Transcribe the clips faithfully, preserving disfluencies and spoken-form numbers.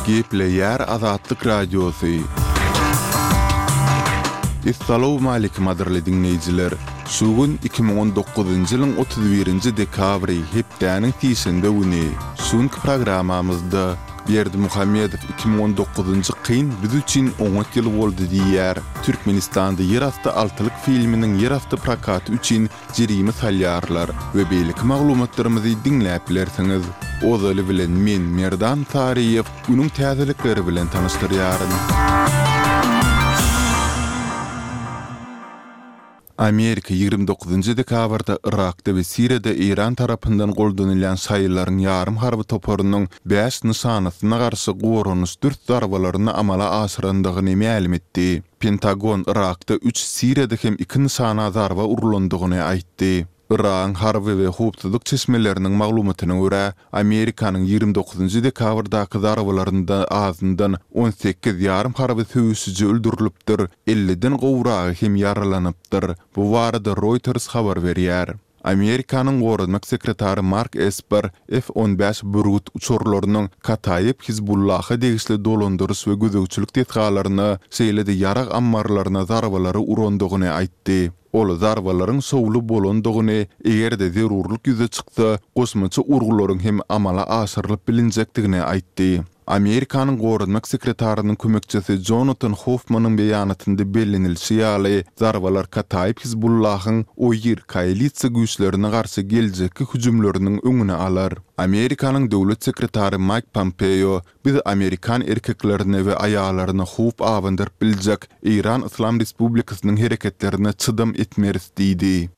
Gepleýär Azatlyk Radiosy. Essalawmaleýkim gadyrly diňleýjiler! Şu gün iki müň on dokuzynjy ýylyň otuz birinji dekabry, hepdäniň sişenbe güni. Şu günki programmamyzda Berdimuhamedow iki müň on dokuzynjy kyn biz üçin oňat ýyl boldy diýýär. Türkmenistanda ýerasty altylyk filminiň ýerasty prokaty üçin jerime salýarlar we beýleki maglumatlarymyzy diňläp bilersiňiz. Ozaly bilen men Merdan Saryýew günüň täzelikleri bilen tanyşdyrýaryn. Amerika ýigrimi dokuzynjy dekabrda Yrakda we Siriýada Eýran tarapyndan goldanylýan şaýylaryň ýarym harby toparynyň bäş nyşanasyna garşy goranyş dürs zarbalaryny amala aşyrandygyny mälim etdi. Pentagon Yrakda üç, Siriýada hem iki nyşana zarba urlandygyny aýtdy. Yragyň harby we howpsuzlyk çeşmeleriniň maglumatyna görä, Amerikanyň ýigrimi dokuzynjy dekabrdaky zarbalarynda azyndan on sekiz ýarym harby söweşiji öldürilipdir, elliden gowragy hem ýaralanypdyr. Bu barada Reuters habar berýär. Amerikanyň goranmak sekretary Mark Esper F on bäş Bürgüt uçarlarynyň Kataýyp Hizbullaha degişli dolandyryş we gözegçilik desgalaryna, şeýle-de ýarag ammarlaryna zarbalary urandygyny aýtdy. Ol zarbalaryň şowly bolandygyny, eger-de zerurlyk ýüze çyksa, goşmaça urgularyň hem amala aşyrylyp bilinjekdigini aýtdy. Amerikanyň goranmak sekretarynyň kömekçisi Jonatan Hoffmanyň beýanatynda bellenilişi ýaly, zarbalar Kataýyp Hizbullahyň Oýir koalisiýa güýçlerine garşy geljekki hüjümleriniň öňüni alar. Amerikanyň döwlet sekretary Maýk Pompeo Biz amerikan erkeklerine we aýallaryna howp abandyryp biljek Eýran Yslam Respublikasynyň hereketlerine çydam etmeris diýdi.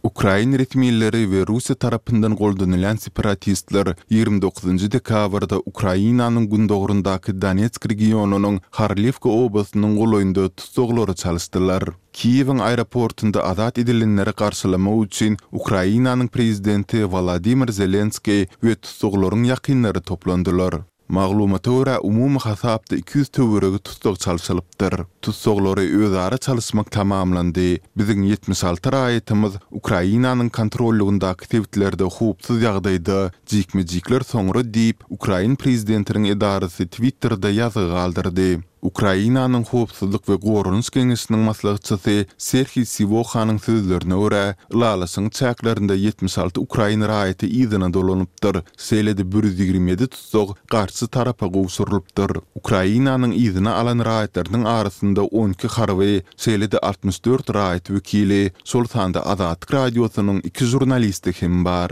Ukrain resmileri we Russiýa tarapyndan goldanylýan separatistler ýigrimi dokuzynjy dekabrda Ukrainanyň gündogaryndaky Donetsk regionynyň Horliwka obasynyň golaýynda tussaglary çalyşdylar. Kiýewiň aeroportunda azat edilenleri garşylamak üçin Ukrainanyň prezidenti Wolodymyr Zelenskiý we tussaglaryň ýakynlary toplandylar. Maglumata görä, umumy hasapda iki ýüz töweregi tussag çalşylypdyr. Tussaglary özara çalyşmak tamamlandy. Biziň ýetmiş alty raýatymyz Ukrainanyň kontrollygyndaky sebitlerde howpsuz ýagdaýda, jikme-jikler soňra diýip, ukrain prezidentiniň edarasy Twitterde ýazgy galdyrdy. Ukrainanyň Howpsuzlyk we goranyş geňeşiniň maslahatçysy Serhiý Siwohanyň sözlerine görä, ylalaşygyň çäklerinde ýetmiş alty ukrain raýaty yzyna dolanypdyr, şeýle-de bir ýüz ýigrimi ýedi tussag garşy tarapa gowşurylypdyr. Ukrainanyň yzyna alan raýatlarynyň arasynda on iki harby, şeýle-de altmyş dört raýat wekili, şol sanda Azatlyk Radiosynyň iki žurnalisti hem bar.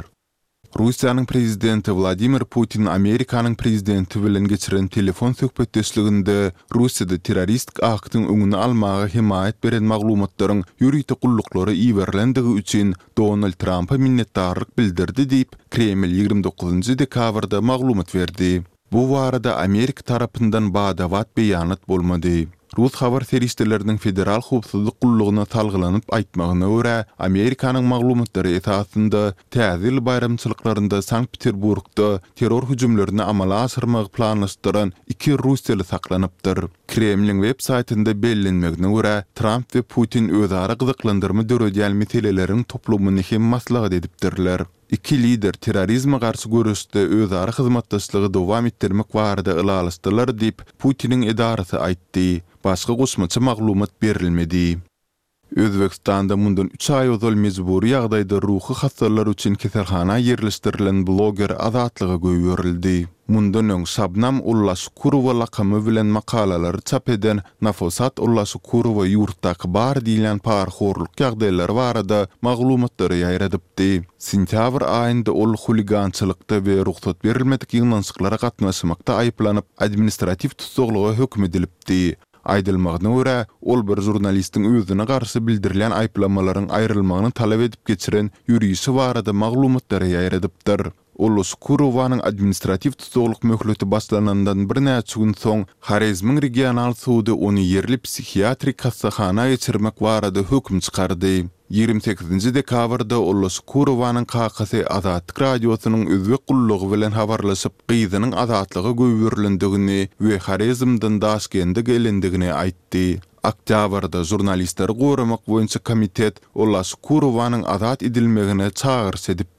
Russiýanyň prezidenti Wladimir Putin Amerikanyň prezidenti bilen geçiren telefon söhbetdeşliginde Russiýada terroristik aktyň öňüni almaga hemaýat beren maglumatlaryň ýörite gulluklara iberilendigi üçin Donald Trampa minnetdarlyk bildirdi diýip, Kreml ýigrimi dokuzynjy dekabrda maglumat berdi. Bu barada Amerika tarapyndan bada-bat beýanat bolmady. Rus habar serişdeleriniň Federal howpsuzlyk gullugyna salgylanyp aýtmagyna görä, Amerikanyň maglumatlary esasynda Täze ýyl baýramçylyklarynda Sankt-Peterburgda terror hüjümlerini amala aşyrmagy planlaşdyran iki russiýaly saklanypdyr. Kremliň web saýtynda bellenmegine görä, Tramp we Putin özara gyzyklandyrma döredýän meseleleriň toplumyny hem maslahat edipdirler. Iki lider terrorizme garşy göreşde özara hyzmatdaşlygy dowam etdirmek barada ylalaşdylar diýip, Putiniň edarasy aýtdy. Başga goşmaça maglumat berilmedi. Özbegistanda mundan üç aý ozal mejbury ýagdaýda ruhy hassalar üçin keselhana ýerleşdirilen bloger azatlyga goýberildi. Mundan öň Şabnam Ullaşukurowa lakamy bilen makalalary çap eden Nafosat Ullaşukurowa ýurtdaky bar diýilýän parahorluk ýagdaýlary barada maglumatlary ýaýradypdy. Sentýabr aýynda ol huligançylykda we rugsat berilmedik ýygnanyşyklara gatnaşmakda aýyplanyp, administratiw tussaglyga höküm edilipdi. Aýdylmagyna görä, ol bir žurnalistiň özüne garşy bildirilýän aýyplamalaryň aýrylmagyny talap edip geçiren ýörişi barada maglumatlary ýaýradypdyr. Ullaşukurowanyň administratiw tussaglyk möhleti başlanandan birnäçe gün soň Horezmiň regional sudy ony ýerli psihiatrik hassahana geçirmek barada höküm çykardy. Ýigrimi sekizinji dekabrda Ullaşukurowanyň kakasy Azatlyk Radiosynyň özbek gullugy bilen habarlaşyp, gyzynyň azatlyga goýberilendigini we Horezmden Daşkende gelendigini aýtdy. Oktýabrda Žurnalistleri goramak boýunça komitet Ullaşukurowanyň azat edilmegine çagyryş edipdi.